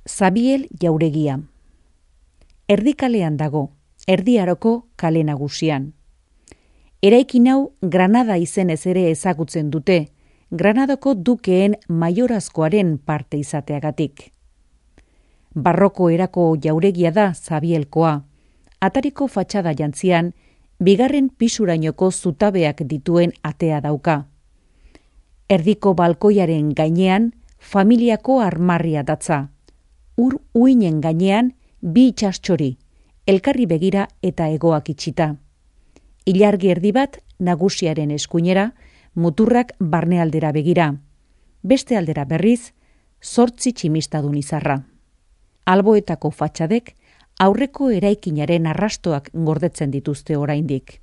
Zabiel jauregia. Erdikalean dago, Erdi Aroko kale nagusian. Eraikin hau Granada izenez ere ezagutzen dute, Granadako dukeen maiorazkoaren parte izateagatik. Barroko erako jauregia da Zabielkoa, atariko fatxada jantzian, bigarren pisurainoko zutabeak dituen atea dauka. Erdiko balkoiaren gainean, familiako armarria datza. Ur uinen gainean, bi itxastxori, elkarri begira eta hegoak itxita. Ilargi erdi bat nagusiaren eskuinera, muturrak barnealdera begira. Beste aldera berriz, 8 tximistadun izarra. Alboetako fatxadek aurreko eraikinaren arrastoak gordetzen dituzte oraindik.